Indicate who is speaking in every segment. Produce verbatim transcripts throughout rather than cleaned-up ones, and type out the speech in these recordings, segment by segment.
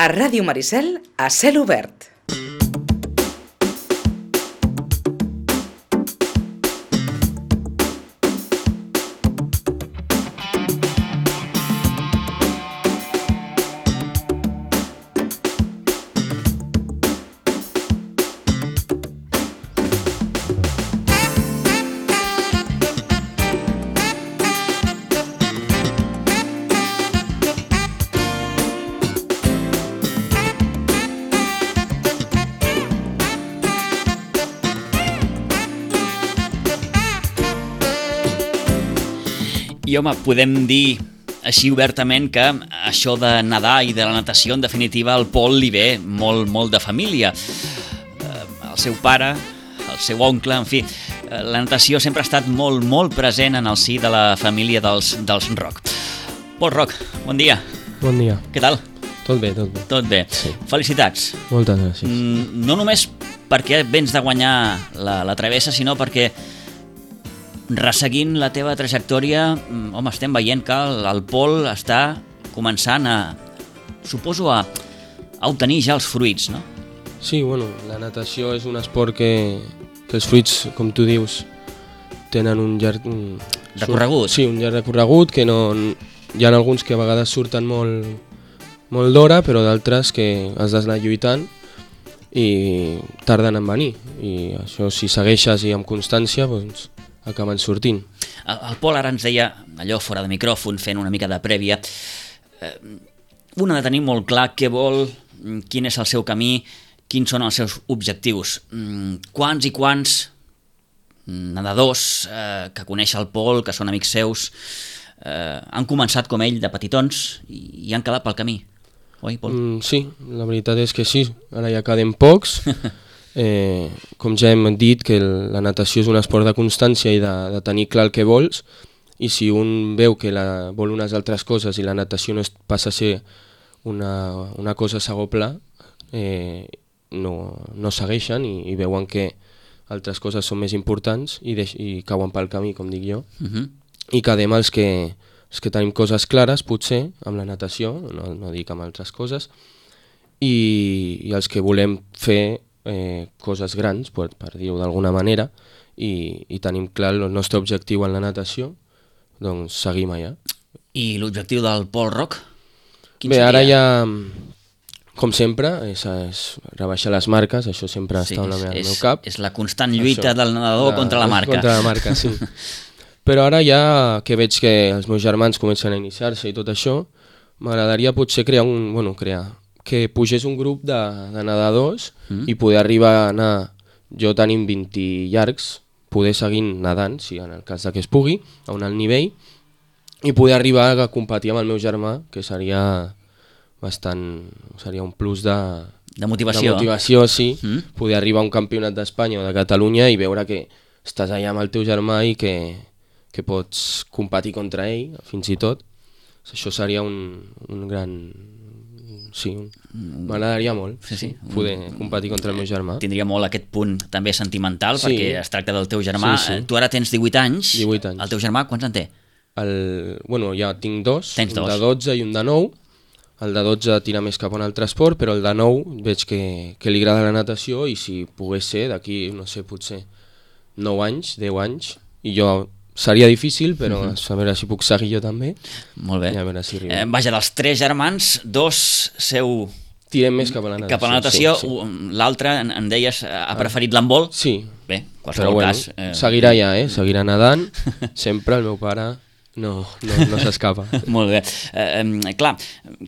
Speaker 1: A Ràdio Maricel, a cel obert.
Speaker 2: I home, podem dir així obertament que això de nedar i de la natació, en definitiva, al Pol li ve molt, molt de família. El seu pare, el seu oncle, en fi, la natació sempre ha estat molt, molt present en el si de la família dels, dels Roc. Pol Roc, bon dia.
Speaker 3: Bon dia.
Speaker 2: Què tal?
Speaker 3: Tot bé, tot bé.
Speaker 2: Tot bé.
Speaker 3: Sí.
Speaker 2: Felicitats.
Speaker 3: Moltes gràcies.
Speaker 2: No només perquè vens de guanyar la, la travessa, sinó perquè resseguint la teva trajectòria, home, estem veient que el, el Pol està començant a, suposo, a, a obtenir ja els fruits, no?
Speaker 3: Sí, bueno, la natació és un esport que, que els fruits, com tu dius, tenen un llarg... Un,
Speaker 2: recorregut.
Speaker 3: Sí, un llarg recorregut, que no... Hi ha alguns que a vegades surten molt, molt d'hora, però d'altres que has d'anar lluitant i tarden en venir. I això, si segueixes i amb constància, doncs acaben sortint.
Speaker 2: El, el Pol ara ens deia, allò fora de micròfon, fent una mica de prèvia, eh, un ha de tenir molt clar què vol, quin és el seu camí, quins són els seus objectius. Quants i quants nedadors eh, que coneix el Pol, que són amics seus, eh, han començat com ell de petitons i, i han quedat pel camí. Oi, Pol?
Speaker 3: Mm, sí, la veritat és que sí. Ara ja quedem pocs. Eh, com ja hem dit, que la natació és un esport de constància i de, de tenir clar el que vols, i si un veu que la, vol unes altres coses i la natació no es, passa a ser una, una cosa a segon pla, eh, no, no segueixen i, i veuen que altres coses són més importants i, deix, i cauen pel camí, com dic jo.
Speaker 2: Uh-huh.
Speaker 3: I quedem els que, els que tenim coses clares, potser, amb la natació, no, no dic amb altres coses, i, i els que volem fer Eh, coses grans, per, per dir-ho d'alguna manera, i, i tenim clar el nostre objectiu en la natació, doncs seguim allà.
Speaker 2: I l'objectiu del Pol Roc? Quin
Speaker 3: Bé,
Speaker 2: seria?
Speaker 3: ara ja, com sempre, és, és rebaixar les marques, això sempre
Speaker 2: Sí,
Speaker 3: està en la meva,
Speaker 2: és,
Speaker 3: al meu cap.
Speaker 2: és la constant lluita
Speaker 3: Això,
Speaker 2: del nedador
Speaker 3: de-
Speaker 2: contra la marca.
Speaker 3: Contra la marca, sí. Però ara ja que veig que els meus germans comencen a iniciar-se i tot això, m'agradaria potser crear un... Bueno, crear... que pugés un grup de, de nedadors mm. i poder arribar a anar, jo tenim vint llargs, poder seguir nedant, si en el cas de que es pugui, a un alt nivell, i poder arribar a competir amb el meu germà, que seria bastant, seria un plus de,
Speaker 2: De motivació.
Speaker 3: de motivació, sí,
Speaker 2: Mm.
Speaker 3: poder arribar a un campionat d'Espanya o de Catalunya i veure que estàs allà amb el teu germà i que, que pots competir contra ell, fins i tot. Això seria un, un gran... Sí, m'agradaria molt
Speaker 2: Sí, sí.
Speaker 3: poder competir contra el meu germà.
Speaker 2: Tindria molt aquest punt també sentimental,
Speaker 3: Sí.
Speaker 2: perquè es tracta del teu germà.
Speaker 3: Sí, sí.
Speaker 2: Tu ara tens divuit anys.
Speaker 3: divuit anys.
Speaker 2: El teu germà quants en té?
Speaker 3: El, bueno, ja tinc dos,
Speaker 2: Tens
Speaker 3: un
Speaker 2: dos.
Speaker 3: de dotze i un de nou. El de dotze tira més cap a un altre esport, però el de nou veig que, que li agrada la natació i si pogués ser d'aquí, no sé, potser nou anys, deu anys, i jo... Seria difícil, però uh-huh. a veure si puc seguir jo també.
Speaker 2: Molt bé.
Speaker 3: I a veure si arribo.
Speaker 2: Eh, vaja, dels tres germans, dos seu...
Speaker 3: Tirem més cap a la natació.
Speaker 2: Cap a la natació,
Speaker 3: sí, sí.
Speaker 2: L'altre, en, en deies, ha preferit l'handbol.
Speaker 3: Sí,
Speaker 2: Bé,
Speaker 3: però
Speaker 2: qualsevol
Speaker 3: bueno,
Speaker 2: cas... Eh...
Speaker 3: seguirà ja, eh? Seguirà nedant. Sempre el meu pare no, no, no s'escapa.
Speaker 2: Molt bé. Eh, eh, clar,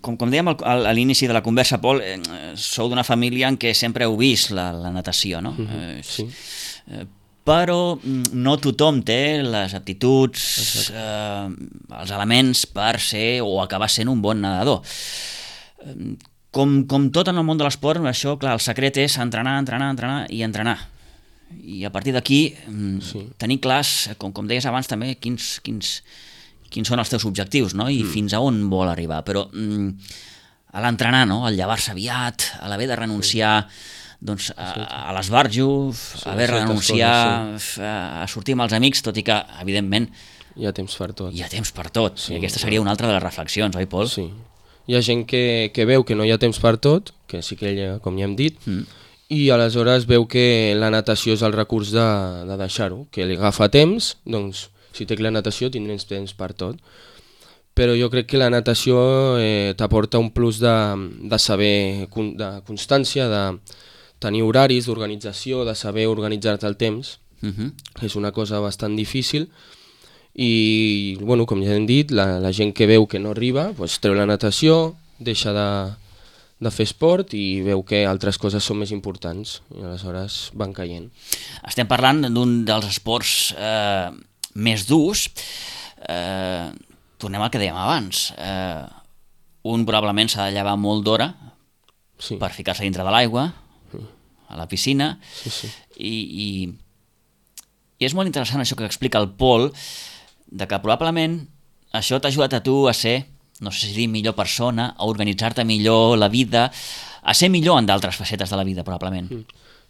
Speaker 2: com, com dèiem al, al, a l'inici de la conversa, Pol, eh, sou d'una família en què sempre heu vist la, la natació, no?
Speaker 3: Mm-hmm,
Speaker 2: eh,
Speaker 3: sí.
Speaker 2: Eh, però no tothom té les aptituds, eh, els elements per ser o acabar sent un bon nedador. Eh, com, com tot en el món de l'esport, això, clar, el secret és entrenar, entrenar, entrenar i entrenar. I a partir d'aquí sí. tenir clars, com, com deies abans també, quins, quins, quins són els teus objectius, no? I mm. fins a on vol arribar. Però mm, a l'entrenar, no? Al llevar-se aviat, a l'haver de renunciar... Sí. doncs a, a l'esbarjo, sí, haver de renunciar coses, sí. a, a sortir amb els amics, tot i que, evidentment,
Speaker 3: hi ha temps per tot.
Speaker 2: Hi ha temps per tot,
Speaker 3: sí,
Speaker 2: i aquesta seria una altra de les reflexions, oi, Pol?
Speaker 3: Sí, hi ha gent que, que veu que no hi ha temps per tot, que sí que ella, com ja hem dit, mm. i aleshores veu que la natació és el recurs de, de deixar-ho, que li agafa temps, doncs si té la natació tindrem temps per tot. Però jo crec que la natació eh, t'aporta un plus de, de saber, de constància, de tenir horaris, d'organització, de saber organitzar-te el temps. Uh-huh. És una cosa bastant difícil i, bueno, com ja hem dit, la, la gent que veu que no arriba pues, treu la natació, deixa de, de fer esport i veu que altres coses són més importants i aleshores van caient.
Speaker 2: Estem parlant d'un dels esports eh, més durs. Eh, tornem al que dèiem abans. Eh, un probablement s'ha de llevar molt d'hora sí. per ficar-se dintre de l'aigua, sí. a la piscina,
Speaker 3: sí, sí.
Speaker 2: i... i I és molt interessant això que explica el Pol, de que probablement això t'ha ajudat a tu a ser, no sé si dir millor persona, a organitzar-te millor la vida, a ser millor en d'altres facetes de la vida, probablement.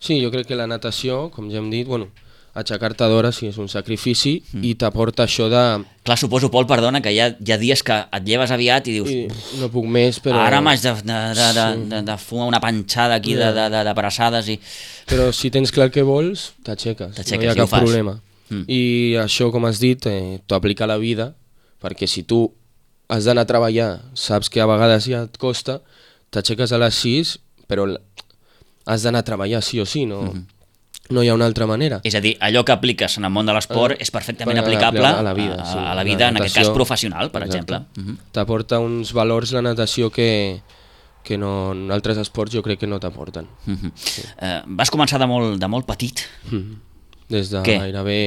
Speaker 3: Sí, jo crec que la natació, com ja hem dit, bueno, aixecar-te d'hora sí és un sacrifici mm. i t'aporta això de...
Speaker 2: Clar, suposo, Pol, perdona, que hi ha, hi ha dies que et lleves aviat i dius...
Speaker 3: I no puc més, però...
Speaker 2: Ara m'haig de, de, de, de, de, de fumar una panxada aquí yeah. de, de, de braçades i...
Speaker 3: Però si tens clar què vols, t'aixeques, no hi ha cap problema. Mm. I això, com has dit, eh, t'ho aplica a la vida, perquè si tu has d'anar a treballar, saps que a vegades ja et costa, t'aixeques a les sis, però has d'anar a treballar sí o sí, no... Mm-hmm. No hi ha una altra manera.
Speaker 2: És a dir, allò que apliques en el món de l'esport és perfectament aplicable a la vida, sí. a la vida en aquest cas professional, per Exacte. exemple. Uh-huh.
Speaker 3: T'aporta uns valors la natació que, que no, en altres esports jo crec que no t'aporten.
Speaker 2: Uh-huh. Sí. Uh, vas començar de molt, de molt petit?
Speaker 3: Uh-huh. Des de Què? gairebé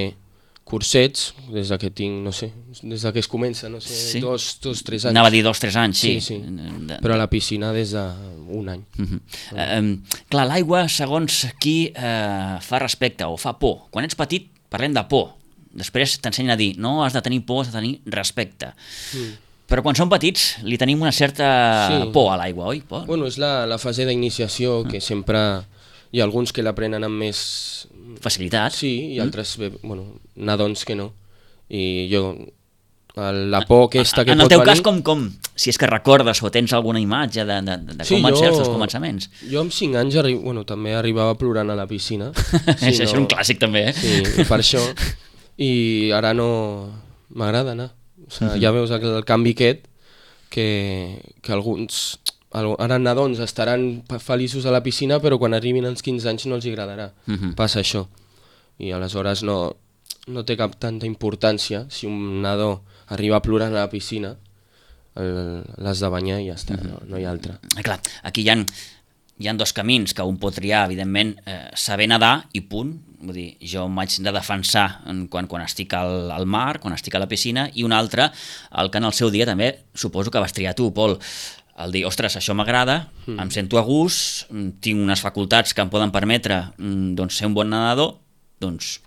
Speaker 3: cursets, des de que tinc, no sé, des de que es comença, no sé, sí? dos, dos, tres anys.
Speaker 2: Anava a dir dos, tres anys, sí.
Speaker 3: Sí, sí. De... Però a la piscina des d'un any.
Speaker 2: Uh-huh. uh, um, clar, l'aigua, segons qui uh, fa respecte o fa por. Quan ets petit, parlem de por. Després t'ensenyen a dir, no has de tenir por, has de tenir respecte. Mm. Però quan som petits li tenim una certa sí. por a l'aigua, oi, Pol?
Speaker 3: Bueno, és la, la fase d'iniciació uh-huh. que sempre... Hi ha alguns que l'aprenen amb més...
Speaker 2: facilitat.
Speaker 3: Sí, i altres, mm. bueno, nadons que no. I jo, la por aquesta que pot venir...
Speaker 2: En el teu cas, com, com, si és que recordes o tens alguna imatge de, de, de
Speaker 3: sí,
Speaker 2: com van
Speaker 3: jo,
Speaker 2: ser els teus començaments?
Speaker 3: Jo amb cinc anys, arri... bueno, també arribava plorant a la piscina.
Speaker 2: Sí, això no... és un clàssic també, eh?
Speaker 3: Sí, per això. I ara no... m'agrada anar. O sigui, mm-hmm. ja veus el, el canvi aquest, que, que alguns... Ara nadons estaran feliços a la piscina, però quan arribin als quinze anys no els agradarà. Uh-huh. Passa això. I aleshores no, no té cap tanta importància si un nadó arriba plorant a la piscina, l'has de banyar i ja està, uh-huh. no, no hi ha altra.
Speaker 2: Eh, clar, aquí hi ha, hi ha dos camins que un pot triar, evidentment, eh, saber nedar i punt. Vull dir, jo m'haig de defensar quan, quan estic al, al mar, quan estic a la piscina, i un altre, el que en el seu dia també suposo que vas triar tu, Pol, el dir, ostres, això m'agrada, mm. em sento a gust, tinc unes facultats que em poden permetre doncs, ser un bon nedador, doncs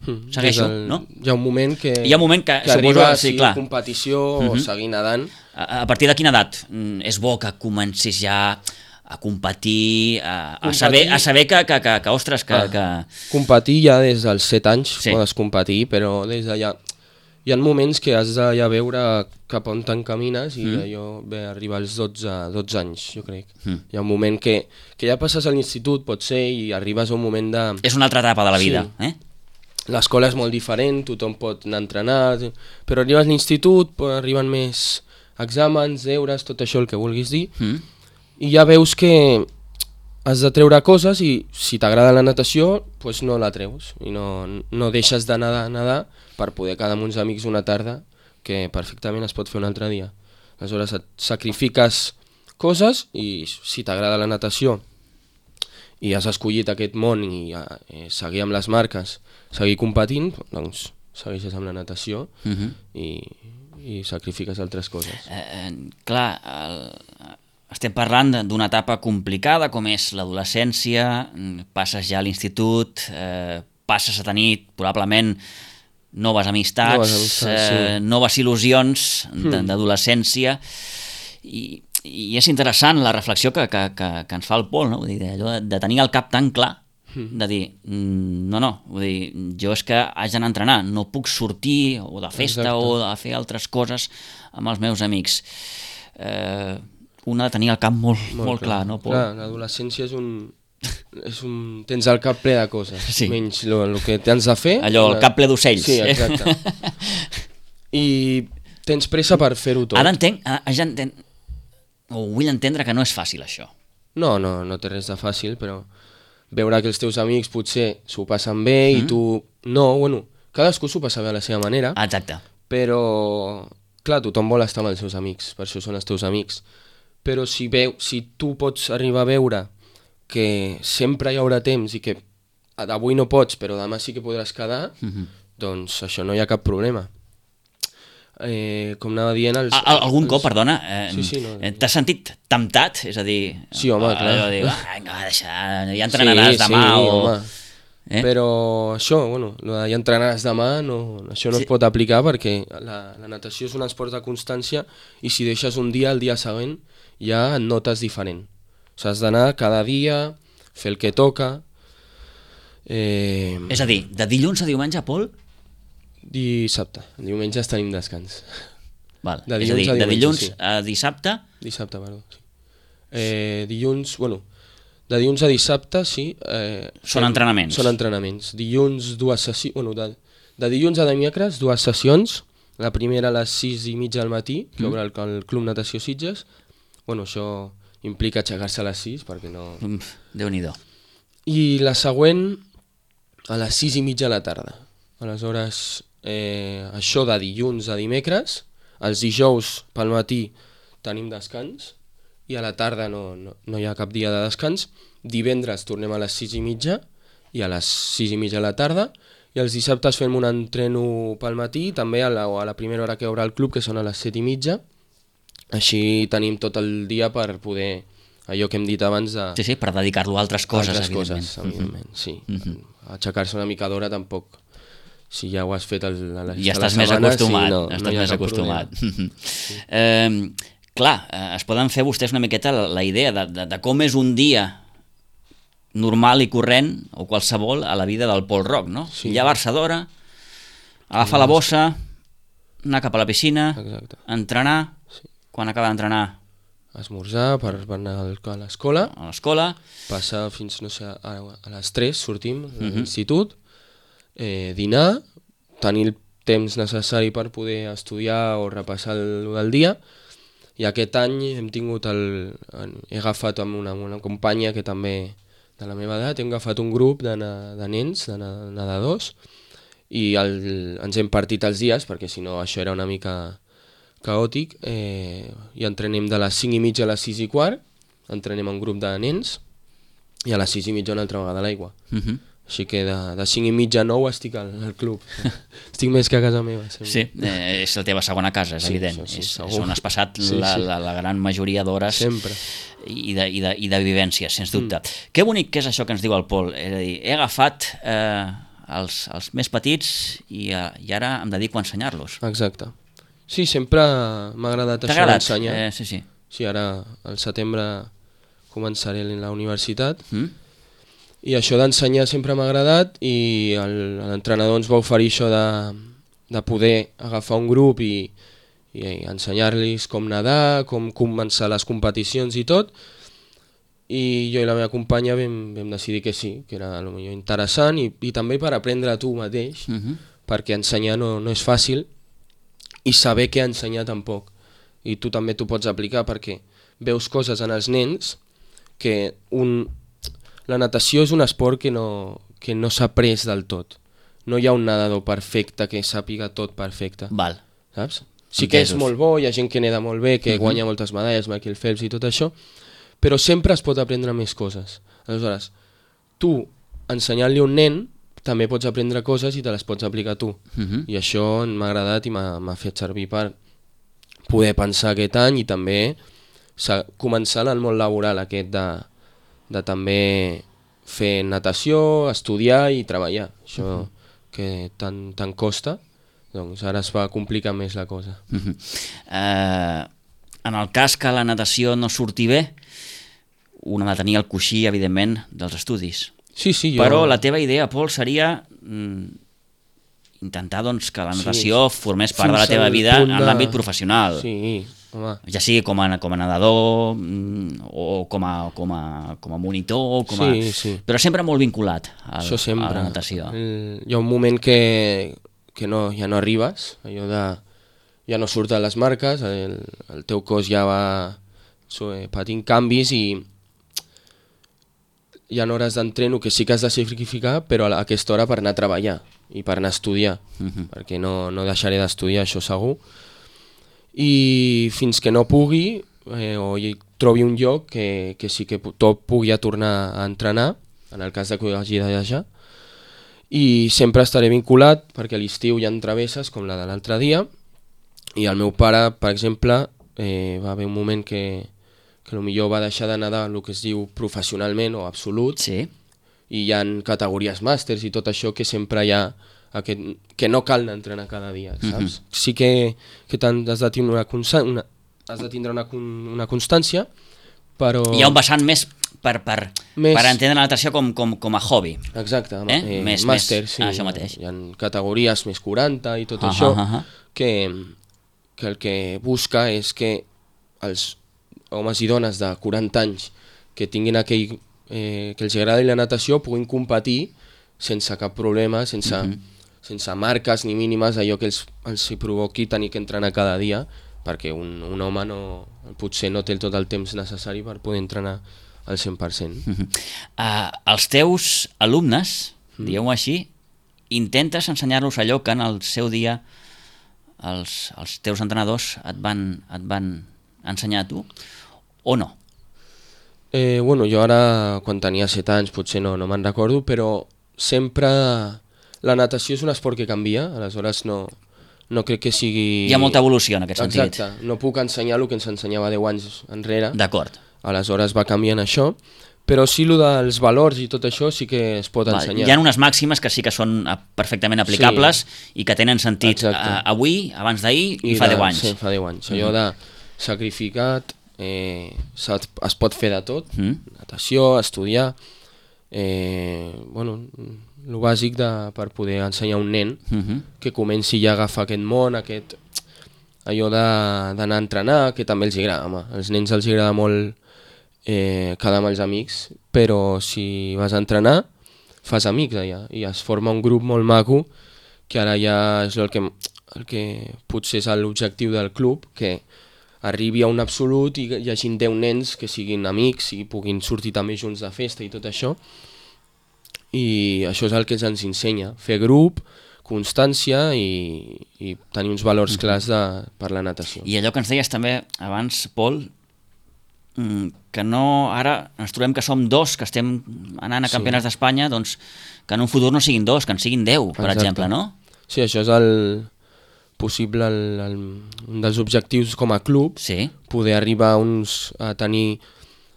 Speaker 2: mm. segueixo, el, no?
Speaker 3: Hi ha un moment que,
Speaker 2: hi ha un moment que,
Speaker 3: que arriba a
Speaker 2: sí,
Speaker 3: sí,
Speaker 2: clar.
Speaker 3: competició mm-hmm. o seguir nedant.
Speaker 2: A, a partir de quina edat és bo que comencis ja a competir, a, a, competir. saber, a saber que, que, que, que ostres, que, ah, que...
Speaker 3: Competir ja des dels set anys
Speaker 2: sí.
Speaker 3: podes competir, però des d'allà... Hi ha moments que has de ja veure cap on t'encamines i mm. allò ve arribar als dotze, dotze anys, jo crec. Mm. Hi ha un moment que, que ja passes a l'institut, pot ser, i arribes a un moment de...
Speaker 2: És una altra etapa de la vida, sí. eh?
Speaker 3: L'escola és molt diferent, tothom pot anar a entrenar, però arribes a l'institut, arriben més exàmens, deures, tot això el que vulguis dir, mm. i ja veus que has de treure coses i si t'agrada la natació, pues no la treus i no, no deixes de nedar, nedar per poder quedar amb uns amics una tarda que perfectament es pot fer un altre dia. Aleshores et sacrifiques coses i si t'agrada la natació i has escollit aquest món i eh, seguir amb les marques, seguir competint, doncs segueixes amb la natació uh-huh. i, i sacrifiques altres coses.
Speaker 2: Eh, eh, clar, el... estem parlant d'una etapa complicada com és l'adolescència, passes ja a l'institut, eh, passes a tenir probablement noves amistats, noves, amistats, sí. eh, noves il·lusions mm. d'adolescència i, i és interessant la reflexió que, que, que, que ens fa el Pol, no? Vull dir, allò de tenir el cap tan clar, mm. de dir, no, no, vull dir, jo és que haig d'anar a entrenar, no puc sortir o de festa Exacte. o de fer altres coses amb els meus amics. Eh, un ha de tenir el cap molt, molt, molt clar, no, Pol?
Speaker 3: Clar, l'adolescència és un... és un... tens el cap ple de coses,
Speaker 2: sí.
Speaker 3: menys el que tens de fer...
Speaker 2: Allò, el cap ple d'ocells.
Speaker 3: Sí, exacte. I tens pressa per fer-ho tot.
Speaker 2: Ara entenc, ara ja entenc, o vull entendre que no és fàcil això.
Speaker 3: No, no, no té res de fàcil, però veure que els teus amics potser s'ho passen bé mm. i tu... No, bueno, cadascú s'ho passa bé a la seva manera.
Speaker 2: Exacte.
Speaker 3: Però, clar, tothom vol estar amb els seus amics, per això són els teus amics. Però si, veu, si tu pots arribar a veure que sempre hi haurà temps i que avui no pots, però demà sí que podràs quedar, mm-hmm. doncs això no hi ha cap problema. Eh, com anava dient... Els,
Speaker 2: Al, algun
Speaker 3: els...
Speaker 2: cop, perdona, eh,
Speaker 3: sí, sí, no,
Speaker 2: t'has sentit temptat? És a dir...
Speaker 3: Sí, home,
Speaker 2: eh,
Speaker 3: clar.
Speaker 2: Dir, vinga, va, deixa, ja entrenaràs
Speaker 3: sí,
Speaker 2: demà
Speaker 3: sí,
Speaker 2: o...
Speaker 3: Home.
Speaker 2: Eh?
Speaker 3: Però això, bueno, lo de ja entrenaràs demà, no, això no sí. es pot aplicar perquè la, la natació és un esport de constància i si deixes un dia, el dia següent ja et notes diferent. O sigui, has d'anar cada dia, fer el que toca... Eh...
Speaker 2: És a dir, de dilluns a diumenge, Pol?
Speaker 3: Dissabte. Diumenges tenim descans.
Speaker 2: Val. De és a dir, a diumenge, de dilluns sí. a dissabte?
Speaker 3: Dissabte, perdó. Sí. Eh, dilluns, bueno, de dilluns a dissabte, sí. Eh,
Speaker 2: són
Speaker 3: fem,
Speaker 2: entrenaments?
Speaker 3: Són entrenaments. Dilluns, dues sessions... Bueno, de, de dilluns a dimecres, dues sessions. La primera a les sis i mitja del matí, que mm. obre el, el Club Natació Sitges. Bueno, això implica aixecar-se a les sis, perquè no...
Speaker 2: Mm, Déu-n'hi-do.
Speaker 3: I la següent a les sis i mitja de la tarda. Aleshores, eh, això de dilluns a dimecres, els dijous pel matí tenim descans i a la tarda no, no, no hi ha cap dia de descans. Divendres tornem a les sis i mitja i a les sis i mitja de la tarda i els dissabtes fem un entreno pel matí, també a la, a la primera hora que obre el club, que són a les set i mitja. Així tenim tot el dia per poder, allò que hem dit abans de...
Speaker 2: Sí, sí, per dedicar-lo a altres coses,
Speaker 3: altres
Speaker 2: evidentment.
Speaker 3: Coses, evidentment,
Speaker 2: mm-hmm.
Speaker 3: sí.
Speaker 2: Mm-hmm.
Speaker 3: Aixecar-se una mica d'hora tampoc. Si ja ho has fet el, a la,
Speaker 2: ja
Speaker 3: a la
Speaker 2: estàs més
Speaker 3: sabana,
Speaker 2: acostumat,
Speaker 3: sí, no,
Speaker 2: estàs
Speaker 3: no
Speaker 2: més acostumat.
Speaker 3: Sí.
Speaker 2: Eh, clar, es poden fer vostès una miqueta la, la idea de, de, de com és un dia normal i corrent, o qualsevol, a la vida del Pol Roc, no?
Speaker 3: Sí.
Speaker 2: Llevar-se d'hora, agafar la bossa, anar cap a la piscina,
Speaker 3: exacte.
Speaker 2: Entrenar,
Speaker 3: sí.
Speaker 2: Quan acaba d'entrenar...
Speaker 3: Esmorzar per, per anar a l'escola,
Speaker 2: a l'escola,
Speaker 3: passar fins, no sé, a, a les tres sortim a
Speaker 2: uh-huh.
Speaker 3: l'institut, eh, dinar, tenir el temps necessari per poder estudiar o repassar el del dia, i aquest any hem tingut el, he agafat amb una, una companya que també de la meva edat, hem agafat un grup de, de nens, de nedadors, i el, ens hem partit els dies, perquè si no això era una mica caòtic, eh, i entrenem de les cinc i mitja a les sis i quart, entrenem un grup de nens, i a les sis i mitja una altra vegada a l'aigua. Uh-huh. Així que de, de cinc i mitja a nou estic al, al club. Estic més que a casa meva. Sempre.
Speaker 2: Sí, eh, és la teva segona casa, és sí, evident. Sí, és, és on has passat sí, la, sí. La, la gran majoria d'hores i, de, i, de, i de vivències, sens dubte. Mm. Que bonic que és això que ens diu el Pol. És a dir, he agafat eh, els, els més petits i, i ara em dedico a ensenyar-los.
Speaker 3: Exacte. Sí, sempre m'ha agradat això d'ensenyar.
Speaker 2: Eh, sí, sí.
Speaker 3: Sí, ara al setembre començaré a la universitat mm. i això d'ensenyar sempre m'ha agradat i l'entrenador ens va oferir això de, de poder agafar un grup i, i ensenyar-los com nedar, com començar les competicions i tot, i jo i la meva companya vam, vam decidir que sí, que era potser interessant i, i també per aprendre a tu mateix, mm-hmm. perquè ensenyar no, no és fàcil i saber què ensenyar tampoc. I tu també t'ho pots aplicar perquè veus coses en els nens que un... la natació és un esport que no, que no s'ha après del tot. No hi ha un nedador perfecte que sàpiga tot perfecte.
Speaker 2: Val.
Speaker 3: Saps? Sí que és molt bo, hi ha gent que neda molt bé, que uh-huh. guanya moltes medalles, Michael Phelps i tot això, però sempre es pot aprendre més coses. Aleshores, tu ensenyant-li a un nen també pots aprendre coses i te les pots aplicar tu. Uh-huh. I això m'ha agradat i m'ha fet servir per poder pensar aquest any i també començar en el món laboral aquest de, de també fer natació, estudiar i treballar. Això uh-huh. que tant, tant costa, doncs ara es va complicar més la cosa.
Speaker 2: Uh-huh. Uh, en el cas que la natació no surti bé, un ha de tenir el coixí, evidentment, dels estudis.
Speaker 3: Sí, sí, jo...
Speaker 2: Però la teva idea, Pol, seria mm, intentar doncs, que la natació sí, formés part de la teva vida de... en l'àmbit professional.
Speaker 3: Sí, home.
Speaker 2: Ja sigui com a, com a nedador mm, o com a, com a, com a monitor, com a...
Speaker 3: Sí, sí.
Speaker 2: Però sempre molt vinculat al,
Speaker 3: Això sempre.
Speaker 2: a la natació.
Speaker 3: El, hi ha un moment que, que no, ja no arribes, allò de... ja no surten les marques, el, el teu cos ja va so, patint canvis i hi ha hores d'entreno que sí que has de sacrificar, però a aquesta hora per anar a treballar i per anar a estudiar, uh -huh. perquè no, no deixaré d'estudiar, això segur. I fins que no pugui, eh, o hi trobi un lloc que, que sí que tot pugui ja tornar a entrenar, en el cas de que ho hagi de deixar, i sempre estaré vinculat, perquè a l'estiu hi ha travesses, com la de l'altre dia, i el meu pare, per exemple, eh, va haver un moment que que potser va deixar de nedar el que es diu professionalment o absolut,
Speaker 2: sí.
Speaker 3: I hi ha categories màsters i tot això que sempre hi ha aquest, que no cal entrenar cada dia, saps? Mm-hmm. Sí que, que has de tindre una, una, has de tindre una, una constància, però...
Speaker 2: Hi ha un vessant més per, per,
Speaker 3: més...
Speaker 2: per entendre la natació com, com, com a hobby.
Speaker 3: Exacte,
Speaker 2: eh?
Speaker 3: eh,
Speaker 2: més,
Speaker 3: màster,
Speaker 2: més...
Speaker 3: sí.
Speaker 2: Ah, això mateix.
Speaker 3: Hi ha categories més quaranta i tot
Speaker 2: uh -huh,
Speaker 3: això,
Speaker 2: uh -huh.
Speaker 3: que, que el que busca és que els homes i dones de quaranta anys que tinguin aquell, eh, que els agradi la natació puguin competir sense cap problema, sense, uh -huh. sense marques ni mínimes, allò que els, els provoqui tenir que entrenar cada dia, perquè un, un home no, potser no té tot el temps necessari per poder entrenar al cent per cent.
Speaker 2: Uh -huh. uh, els teus alumnes, uh -huh. digueu-ho així, intentes ensenyar-los allò que en el seu dia els, els teus entrenadors et van, et van ensenyar a tu, o no?
Speaker 3: Eh, bueno, jo ara, quan tenia set anys, potser no, no me'n recordo, però sempre la natació és un esport que canvia, aleshores no, no crec que sigui...
Speaker 2: Hi ha molta evolució en aquest sentit.
Speaker 3: Exacte, no puc ensenyar el que ens ensenyava deu anys enrere.
Speaker 2: D'acord.
Speaker 3: Aleshores va canviant això, però sí, el dels valors i tot això sí que es pot
Speaker 2: Val,
Speaker 3: ensenyar.
Speaker 2: hi ha unes màximes que sí que són perfectament aplicables, sí, i que tenen sentit a, avui, abans d'ahir i, i fa
Speaker 3: de,
Speaker 2: deu anys.
Speaker 3: Sí, fa deu anys. Allò de sacrificat, eh, es pot fer de tot, mm. natació, estudiar, eh, bueno, el bàsic de, per poder ensenyar a un nen mm -hmm. que comenci ja a agafar aquest món, aquest, allò d'anar a entrenar, que també els agrada. Home, als nens els agrada molt eh, quedar amb els amics, però si vas a entrenar fas amics allà i es forma un grup molt maco, que ara ja és el que, el que potser és l'objectiu del club, que arribi a un absolut i hi hagi deu nens que siguin amics i puguin sortir també junts de festa i tot això, i això és el que ens ensenya, fer grup, constància i, i tenir uns valors clars de, per la natació.
Speaker 2: I allò que ens deies també abans, Pol, que no, ara ens trobem que som dos que estem anant a campionats sí. d'Espanya, doncs que en un futur no siguin dos, que en siguin deu, per Exacte. exemple, no?
Speaker 3: Sí, això és el possible, el, el, un dels objectius com a club,
Speaker 2: sí.
Speaker 3: poder arribar a, uns, a tenir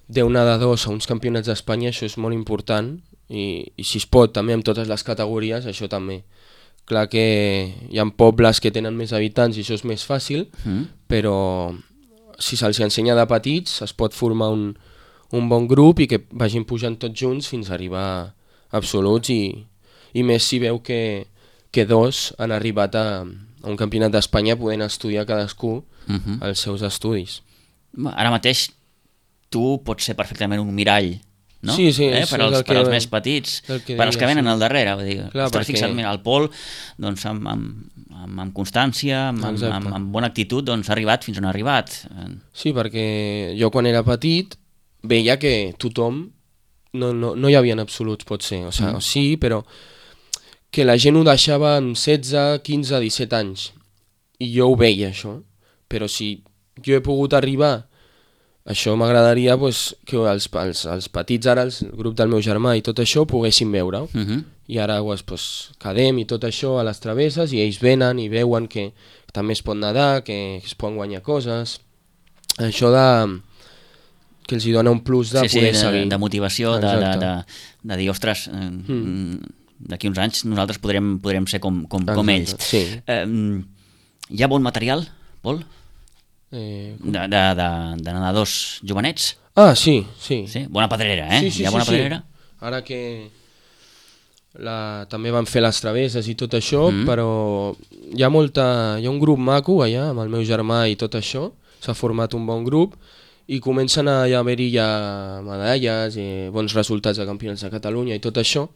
Speaker 3: deu nedadors a uns campionats d'Espanya, això és molt important, i, i si es pot també amb totes les categories, això també. Clar que hi ha pobles que tenen més habitants i això és més fàcil, mm. però si se'ls ensenya de petits es pot formar un, un bon grup i que vagin pujant tots junts fins a arribar a absoluts, i, i més si veu que, que dos han arribat a, a un campionat d'Espanya podent estudiar cadascú mm -hmm. els seus estudis.
Speaker 2: Ara mateix tu pots ser perfectament un mirall, no?
Speaker 3: Sí, sí,
Speaker 2: eh? per, als,
Speaker 3: que,
Speaker 2: per als més petits, per als que venen sí. al darrere. Vull dir, Clar, perquè... fixa't, mira, el Pol, doncs, amb, amb, amb, amb constància, amb, amb, amb, amb bona actitud, doncs, ha arribat fins on ha arribat.
Speaker 3: Sí, perquè jo quan era petit veia que tothom, no, no, no hi havia en absoluts, pot ser, o sigui, mm. sí, però que la gent ho deixava amb setze, quinze, disset anys, i jo ho veia, això, però si jo he pogut arribar, això m'agradaria pues, que els, els, els petits ara, el grup del meu germà i tot això, poguessin veure-ho. Uh -huh. I ara pues, pues, quedem i tot això a les travesses i ells venen i veuen que també es pot nedar, que es poden guanyar coses. Això de... que els hi dona un plus de
Speaker 2: sí,
Speaker 3: poder
Speaker 2: sí,
Speaker 3: seguir.
Speaker 2: De, de motivació, de, de, de, de dir, ostres, eh, mm. d'aquí uns anys nosaltres podrem, podrem ser com, com, com ells.
Speaker 3: Sí.
Speaker 2: Eh, hi ha bon material, Pol?
Speaker 3: Eh,
Speaker 2: de, de, de, de nedadors jovenets?
Speaker 3: Ah, sí, sí.
Speaker 2: sí? Bona pedrera, eh?
Speaker 3: Sí, sí,
Speaker 2: Hi ha bona
Speaker 3: sí,
Speaker 2: pedrera?
Speaker 3: Sí. Ara que la, també van fer les travesses i tot això, mm. però hi ha molta, hi ha un grup maco allà amb el meu germà i tot això, s'ha format un bon grup i comencen a haver-hi ja medalles, eh, bons resultats de campionats de Catalunya i tot això,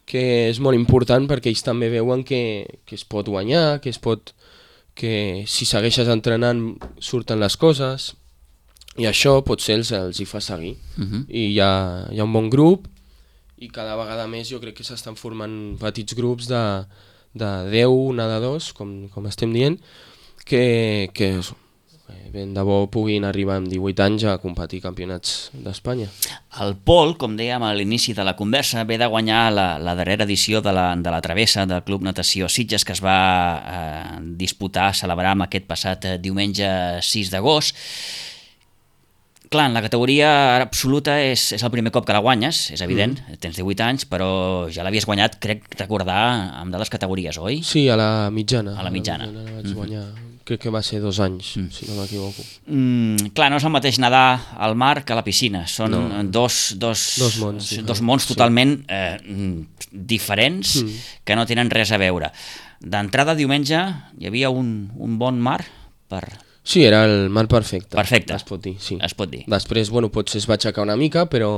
Speaker 3: que és molt important perquè ells també veuen que, que es pot guanyar, que es pot, que si segueixes entrenant surten les coses, i això potser els, els hi fa seguir. Uh-huh. I hi ha, hi ha un bon grup i cada vegada més jo crec que s'estan formant petits grups de, de deu nedadors, com, com estem dient, que, que ben de bo puguin arribar amb divuit anys a competir campionats d'Espanya.
Speaker 2: El Pol, com dèiem a l'inici de la conversa, ve de guanyar la, la darrera edició de la, de la Travessa del Club Natació Sitges, que es va eh, disputar, celebrar amb aquest passat eh, diumenge sis d'agost. Clar, en la categoria absoluta és, és el primer cop que la guanyes, és evident, mm. tens divuit anys, però ja l'havies guanyat, crec recordar, amb de les categories, oi?
Speaker 3: Sí, a la mitjana.
Speaker 2: A la mitjana.
Speaker 3: A la mitjana vaig guanyar, mm-hmm. crec que va ser dos anys, mm. si no m'equivoco.
Speaker 2: Mm, clar, no és el mateix nedar al mar que a la piscina, són no. dos, dos,
Speaker 3: dos mons,
Speaker 2: dos mons totalment sí. eh, diferents mm. que no tenen res a veure. D'entrada, diumenge, hi havia un, un bon mar per...
Speaker 3: Sí, era el mar perfecte.
Speaker 2: Perfecte.
Speaker 3: Es pot dir, sí.
Speaker 2: Es pot dir.
Speaker 3: Després, bueno, potser es va aixecar una mica, però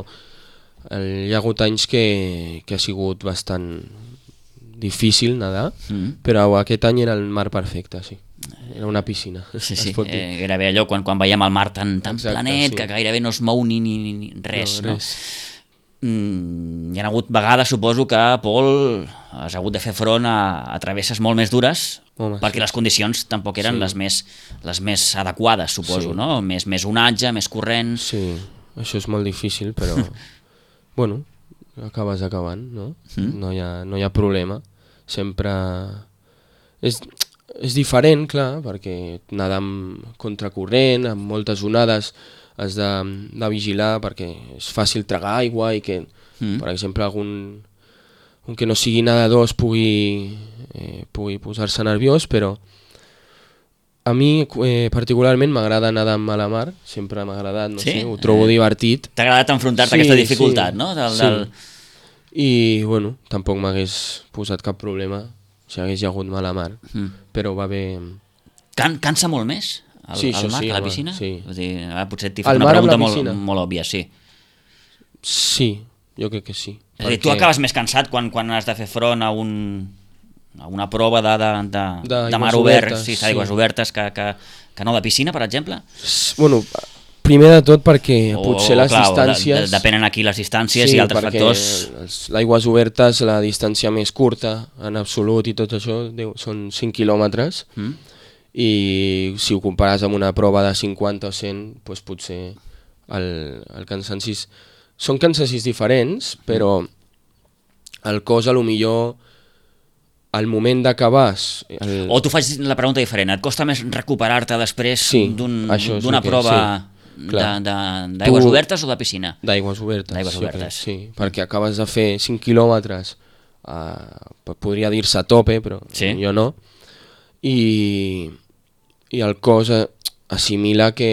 Speaker 3: el, hi ha hagut anys que, que ha sigut bastant difícil nedar, mm. però aquest any era el mar perfecte, sí. Era una piscina.
Speaker 2: Sí, sí, eh, era bé allò quan, quan veiem el mar tan, tan Exacte, planet sí. que gairebé no es mou ni, ni, ni res. No, res. No? Mm, hi ha hagut vegades, suposo, que, Pol, has hagut de fer front a, a travesses molt més dures, Home, perquè sí. les condicions tampoc eren sí. les, més, les més adequades, suposo, sí. no? Més, més onatge, més corrent...
Speaker 3: Sí, això és molt difícil, però, bueno, acabes acabant, no? Mm. No, hi ha, no hi ha problema. Sempre... És, és diferent, clar, perquè nedar amb contracorrent, amb moltes onades, has de, de vigilar perquè és fàcil tragar aigua i que, mm. per exemple, algun, un que no sigui nedador es pugui, eh, pugui posar-se nerviós, però a mi eh, particularment m'agrada nedar amb la mar, sempre m'ha agradat, no sí? sé, ho trobo eh, divertit.
Speaker 2: T'ha agradat enfrontar-te sí, a aquesta dificultat,
Speaker 3: sí,
Speaker 2: no? Del,
Speaker 3: sí.
Speaker 2: del...
Speaker 3: I, bueno, tampoc m'hagués posat cap problema si hagués hagut mala mar, mm. però va bé...
Speaker 2: Can, cansa molt més? El,
Speaker 3: sí,
Speaker 2: el mar
Speaker 3: sí,
Speaker 2: que la
Speaker 3: home,
Speaker 2: piscina?
Speaker 3: Sí.
Speaker 2: Vull dir, ara potser t'he fet una pregunta molt, molt òbvia, sí.
Speaker 3: Sí, jo crec que sí.
Speaker 2: És a dir, tu acabes més cansat quan, quan has de fer front a, un, a una prova de, de, de, de, de mar obert, sí, d'aigües sí. obertes, que, que, que no de piscina, per exemple?
Speaker 3: Bueno, primer de tot perquè o, potser les clar, distàncies...
Speaker 2: De, depenen aquí les distàncies sí, i altres factors...
Speaker 3: Sí, l'aigües obertes, la distància més curta, en absolut i tot això, són cinc quilòmetres, mm. i si ho compares amb una prova de cinquanta o cent, doncs potser el, el cansanci... Són cansancis diferents, però el cos a lo millor al moment d'acabar... El...
Speaker 2: O t'ho faig la pregunta diferent, et costa més recuperar-te després
Speaker 3: sí,
Speaker 2: d'una
Speaker 3: un,
Speaker 2: prova sí, d'aigües obertes o de piscina?
Speaker 3: D'aigües obertes,
Speaker 2: d'aigües obertes.
Speaker 3: Sí, perquè acabes de fer cinc quilòmetres, uh, podria dir-se a tope, però sí? jo no, i, i el cos assimila que,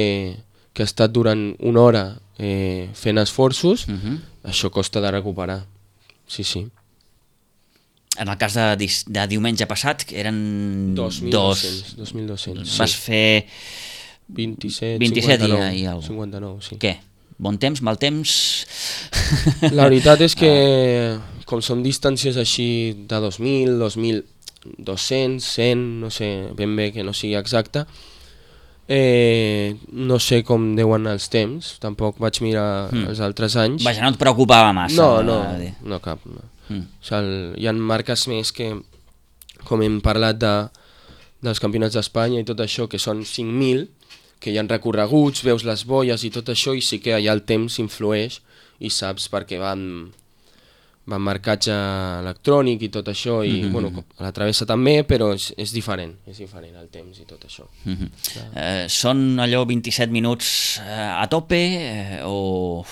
Speaker 3: que ha estat durant una hora eh, fent esforços, uh-huh. això costa de recuperar, sí, sí.
Speaker 2: En el cas de, de diumenge passat, que eren
Speaker 3: dos mil dos-cents.
Speaker 2: Vas
Speaker 3: sí.
Speaker 2: fer
Speaker 3: vint-i-set,
Speaker 2: vint-i-set
Speaker 3: cinquanta-nou,
Speaker 2: i, i alguna cosa.
Speaker 3: cinquanta-nou, sí.
Speaker 2: Què? Bon temps, mal temps?
Speaker 3: La veritat és que, com són distàncies així de dos mil, dos mil dos-cents, cent, no sé, ben bé que no sigui exacte, eh, no sé com deuen els temps, tampoc vaig mirar mm. els altres anys.
Speaker 2: Vaja, no et preocupava massa?
Speaker 3: No, no, no cap, no. Mm. O sigui, hi ha marques més que, com hem parlat de, dels campionats d'Espanya i tot això, que són cinc mil, que hi ha recorreguts, veus les boies i tot això, i sí que allà el temps influeix i saps perquè van, van marcatge electrònic i tot això, i mm-hmm. bueno, a la travessa també, però és, és diferent, és diferent el temps i tot això.
Speaker 2: Mm-hmm. eh, són allò vint-i-set minuts eh, a tope eh, o...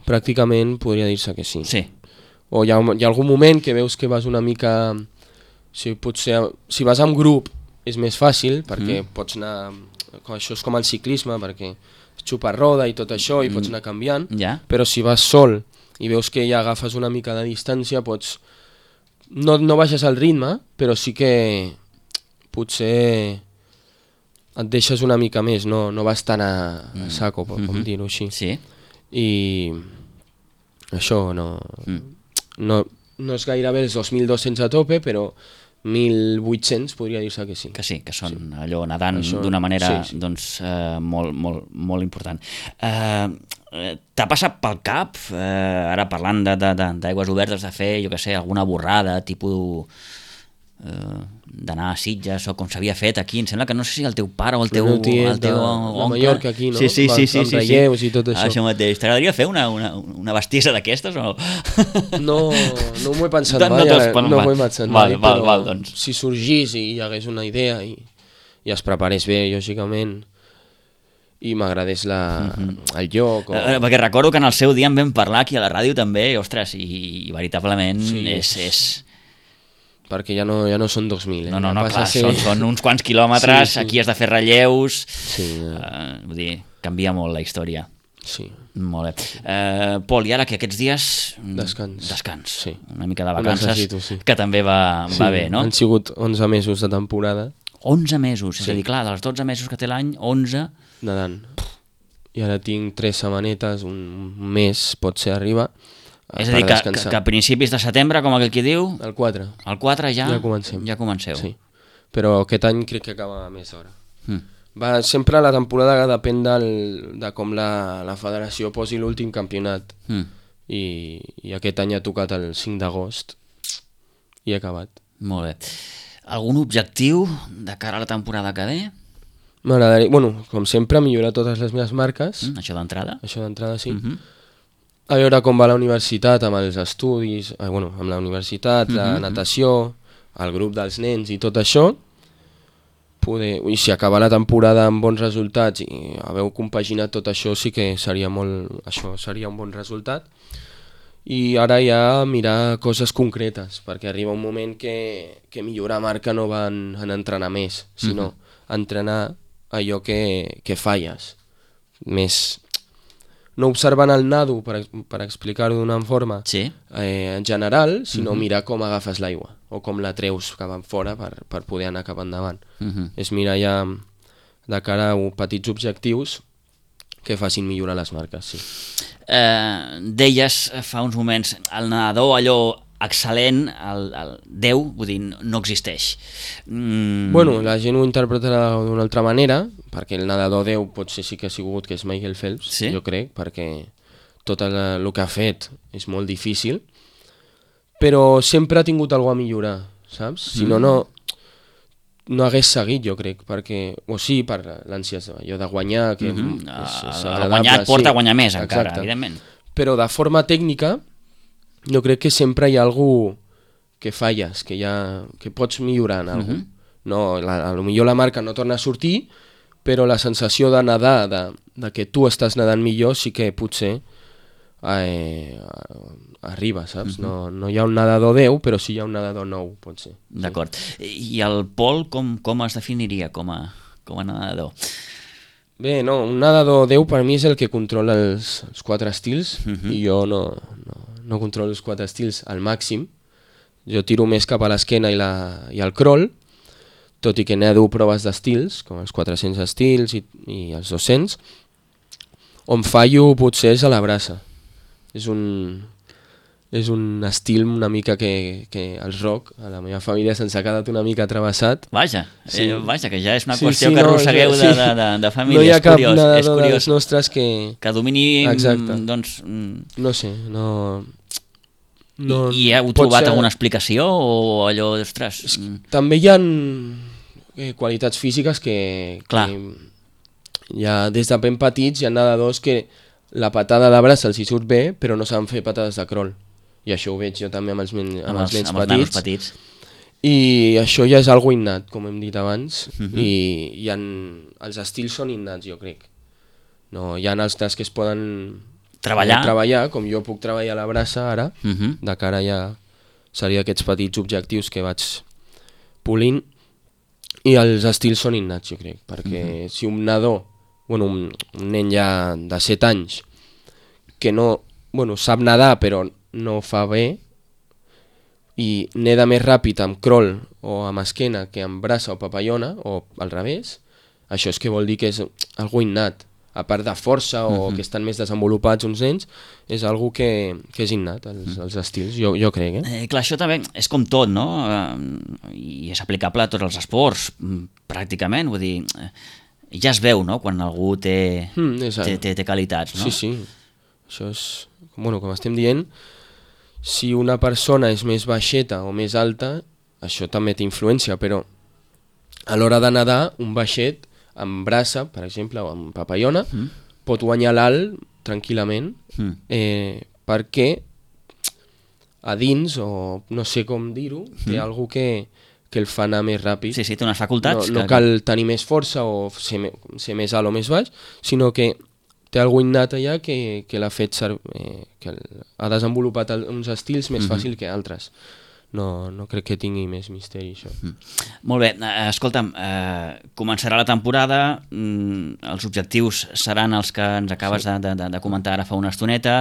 Speaker 3: Pràcticament podria dir-se que sí.
Speaker 2: Sí.
Speaker 3: O hi ha, hi ha algun moment que veus que vas una mica... Si, potser, si vas amb grup és més fàcil, perquè mm. pots anar... Això és com el ciclisme, perquè xupa roda i tot això, i pots anar canviant,
Speaker 2: yeah.
Speaker 3: però si vas sol i veus que ja agafes una mica de distància, pots... No, no baixes el ritme, però sí que potser et deixes una mica més, no, no vas tan a, a saco, com
Speaker 2: Mm-hmm.
Speaker 3: dir-ho així.
Speaker 2: Sí.
Speaker 3: I això no,
Speaker 2: Mm.
Speaker 3: no, no és gairebé els dos mil dos-cents a tope, però mil vuit-cents podria dir-se que sí.
Speaker 2: Que sí, que són sí. allò nedant
Speaker 3: Això-
Speaker 2: d'una manera
Speaker 3: sí, sí.
Speaker 2: doncs, eh, molt, molt, molt important. Eh, eh, T'ha passat pel cap, eh, ara parlant de- de- de- d'aigües obertes, de fer, jo què sé, alguna borrada, tipus eh, d'anar a Sitges o com s'havia fet aquí? Em sembla que no sé si el teu pare o el teu,
Speaker 3: El meu tiet
Speaker 2: el teu
Speaker 3: de- de
Speaker 2: oncle...
Speaker 3: Mallorca aquí, no?
Speaker 2: Sí, sí,
Speaker 3: Amb-
Speaker 2: sí, sí,
Speaker 3: amb
Speaker 2: sí,
Speaker 3: relleus
Speaker 2: sí.
Speaker 3: i tot això.
Speaker 2: Això mateix. T'agradaria fer una, una, una bestiesa d'aquestes o no?
Speaker 3: No, no m'ho he pensat
Speaker 2: No- no
Speaker 3: mai,
Speaker 2: t'has-
Speaker 3: ara,
Speaker 2: bueno,
Speaker 3: no
Speaker 2: va.
Speaker 3: m'ho he pensat
Speaker 2: Val,
Speaker 3: mai,
Speaker 2: val,
Speaker 3: però
Speaker 2: val, doncs.
Speaker 3: si sorgís i hi hagués una idea i, i es preparés bé, lògicament, i m'agradés la, el lloc... O...
Speaker 2: Eh, perquè recordo que en el seu dia en vam parlar aquí a la ràdio també, i, ostres, i, i veritablement
Speaker 3: Sí.
Speaker 2: és... és...
Speaker 3: perquè ja no, ja no són dos mil. Eh?
Speaker 2: No, no,
Speaker 3: Ja
Speaker 2: no,
Speaker 3: passa a
Speaker 2: clar,
Speaker 3: ser-
Speaker 2: són, són uns quants quilòmetres,
Speaker 3: Sí, sí.
Speaker 2: aquí has de fer relleus,
Speaker 3: Sí, ja.
Speaker 2: eh, vull dir, canvia molt la història.
Speaker 3: sí.
Speaker 2: Molt bé. Eh, Pol, i ara que aquests dies... mm,
Speaker 3: Descans.
Speaker 2: Descans.
Speaker 3: Sí.
Speaker 2: Una mica de
Speaker 3: Ho
Speaker 2: vacances,
Speaker 3: necessito, sí.
Speaker 2: que també va, va bé, no?
Speaker 3: Han sigut onze mesos de temporada
Speaker 2: onze mesos, és
Speaker 3: Sí.
Speaker 2: a dir, clar, dels dotze mesos que té l'any, onze...
Speaker 3: nedant. I ara tinc tres setmanetes, un mes pot ser arriba,
Speaker 2: És a
Speaker 3: per
Speaker 2: dir, que, que,
Speaker 3: descansar.
Speaker 2: que a principis de setembre, com aquell qui diu,
Speaker 3: El quatre,
Speaker 2: el quatre ja,
Speaker 3: Ja comencem.
Speaker 2: Ja comenceu.
Speaker 3: sí. Però aquest any crec que acaba més d'hora.
Speaker 2: Mm.
Speaker 3: Va, sempre la temporada depèn del, de com la, la federació posi l'últim campionat.
Speaker 2: Mm.
Speaker 3: I, I aquest any ha tocat el cinc d'agost i he acabat.
Speaker 2: Molt bé. Algun objectiu de cara a la temporada que ve?
Speaker 3: M'agradaria, bueno, com sempre, millorar totes les meves marques,
Speaker 2: Mm, això d'entrada?
Speaker 3: això d'entrada sí.
Speaker 2: Mhm.
Speaker 3: A veure com va la universitat amb els estudis, eh, bueno, amb la universitat, la
Speaker 2: Mhm.
Speaker 3: natació, el grup dels nens i tot això. Poder, i si acaba la temporada amb bons resultats i haver compaginat tot això, sí que seria molt, això seria un bon resultat. I ara ja mirar coses concretes, perquè arriba un moment que, que millorar marca no va en, en entrenar més, sinó entrenar allò que, que falles. Més, no observant el nado, per, ex- per explicar-ho d'una forma,
Speaker 2: Sí.
Speaker 3: eh, en general, sinó mirar com agafes l'aigua o com la treus cap enfora per, per poder anar cap endavant.
Speaker 2: Mhm.
Speaker 3: És mirar ja de cara a petits objectius que facin millorar les marques, sí.
Speaker 2: Eh, deies fa uns moments, el nedador allò excel·lent, el, el Déu, vull dir, no existeix. Mm,
Speaker 3: Bueno, la gent ho interpretarà d'una altra manera, perquè el nedador Déu potser sí que ha sigut, que és Michael Phelps,
Speaker 2: Sí?
Speaker 3: jo crec, perquè tot el, el que ha fet és molt difícil, però sempre ha tingut alguna a millorar, saps? Si no, no, no hagués seguit, jo crec, perquè, o sí, per l'ànsies allò de guanyar, que
Speaker 2: Mhm.
Speaker 3: és,
Speaker 2: El-
Speaker 3: és
Speaker 2: el
Speaker 3: agradable,
Speaker 2: guanyar et porta
Speaker 3: sí.
Speaker 2: a guanyar més, encara,
Speaker 3: Exacte.
Speaker 2: evidentment.
Speaker 3: Però de forma tècnica, jo crec que sempre hi ha algú que falles, que, ja, que pots millorar en alguna cosa. No, la, a lo millor la marca no torna a sortir, però la sensació de nedar, de, de que tu estàs nedant millor, sí que potser eh, arriba, saps? no, no hi ha un nedador deu, però sí hi ha un nedador nou, pot ser.
Speaker 2: D'acord. I el Pol com, com es definiria com a, com a nedador?
Speaker 3: Bé, no, un nedador deu per mi és el que controla els, els quatre estils, i jo no, no, no controlo els quatre estils al màxim. Jo tiro més cap a l'esquena i, la, i el crawl, tot i que nedo proves d'estils, com els quatre-cents estils i, i els dos-cents, on fallo potser és a la braça. És un, és un estil una mica que, que el rock, a la meva família se'ns ha quedat una mica travessat.
Speaker 2: Vaja,
Speaker 3: Sí.
Speaker 2: eh, vaja, que ja és una
Speaker 3: Sí,
Speaker 2: qüestió
Speaker 3: sí,
Speaker 2: que
Speaker 3: no,
Speaker 2: arrossegueu
Speaker 3: sí.
Speaker 2: de, de, de, de família.
Speaker 3: No hi ha
Speaker 2: és
Speaker 3: cap
Speaker 2: curiós, és
Speaker 3: nedador dels
Speaker 2: curiós.
Speaker 3: nostres que...
Speaker 2: Que domini,
Speaker 3: Exacte.
Speaker 2: mm, doncs... mm,
Speaker 3: No sé, no... no
Speaker 2: I, I heu
Speaker 3: pot
Speaker 2: trobat
Speaker 3: ser-
Speaker 2: alguna explicació o allò, ostres... mm,
Speaker 3: També hi ha eh, qualitats físiques que,
Speaker 2: Clar.
Speaker 3: que ja des de ben petits hi ha nedadors que la patada de braç els hi surt bé, però no saben fer patades de crawl. I això ho veig jo també amb els, men amb
Speaker 2: amb
Speaker 3: els nens
Speaker 2: amb els nanos
Speaker 3: petits.
Speaker 2: petits.
Speaker 3: I això ja és algo innat, com hem dit abans,
Speaker 2: Mhm.
Speaker 3: i, i en, els estils són innats, jo crec. No, hi ha altres que es poden
Speaker 2: Treballar.
Speaker 3: treballar, com jo puc treballar la braça ara,
Speaker 2: Mhm.
Speaker 3: de cara ja seria aquests petits objectius que vaig polint, i els estils són innats, jo crec, perquè si un nadó, bueno, un, un nen ja de set anys, que no, bueno, sap nedar però no fa bé, i neda més ràpid amb crawl o amb esquena que amb braça o papallona, o al revés, això és que vol dir que és algo innat. A part de força o uh-huh. que estan més desenvolupats uns nens, és algo que, que és innat, els, uh-huh. els estils, jo, jo crec. Eh?
Speaker 2: Eh, clar, això també és com tot, no? Eh, I és aplicable a tots els esports, pràcticament, vull dir, eh, ja es veu, no?, quan algú té, mm, té, té, té qualitats, no?
Speaker 3: Sí, sí, això és, bueno, com estem dient, si una persona és més baixeta o més alta, això també té influència, però a l'hora de nedar, un baixet amb braça, per exemple, o amb papallona, mm. pot guanyar l'alt tranquil·lament, mm. eh, perquè a dins, o no sé com dir-ho, mm. té alguna que, que el fa anar més ràpid.
Speaker 2: Sí, sí, té unes facultats.
Speaker 3: No, no cal tenir més força o ser, ser més alt o més baix, sinó que té alguna innat allà que, que l'ha fet ser, eh, que ha desenvolupat uns estils més mm-hmm. fàcil que altres. No, no crec que tingui més misteri, això. Mm.
Speaker 2: Molt bé, eh, escolta'm, eh, començarà la temporada, mm, els objectius seran els que ens acabes sí. de, de, de comentar ara fa una estoneta,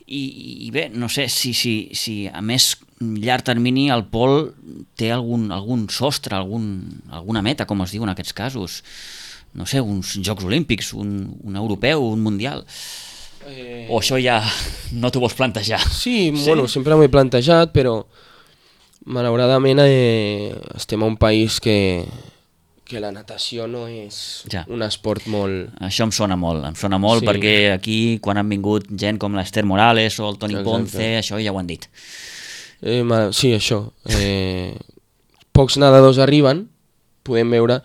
Speaker 2: i, i bé, no sé si, si, si a més llarg termini el Pol té algun, algun sostre, algun, alguna meta, com es diu en aquests casos, no sé, uns Jocs Olímpics, un, un europeu, un mundial... Eh... O això ja no t'ho vols plantejar?
Speaker 3: Sí, sí? Bueno, sempre m'ho he plantejat, però malauradament eh, estem a un país que, que la natació no és ja. un esport molt...
Speaker 2: Això em sona molt, em sona molt sí. perquè aquí quan han vingut gent com l'Esther Morales o el Toni Exacte. Ponce, això ja ho han dit.
Speaker 3: Eh, ma, sí, això. Eh, pocs nedadors arriben, podem veure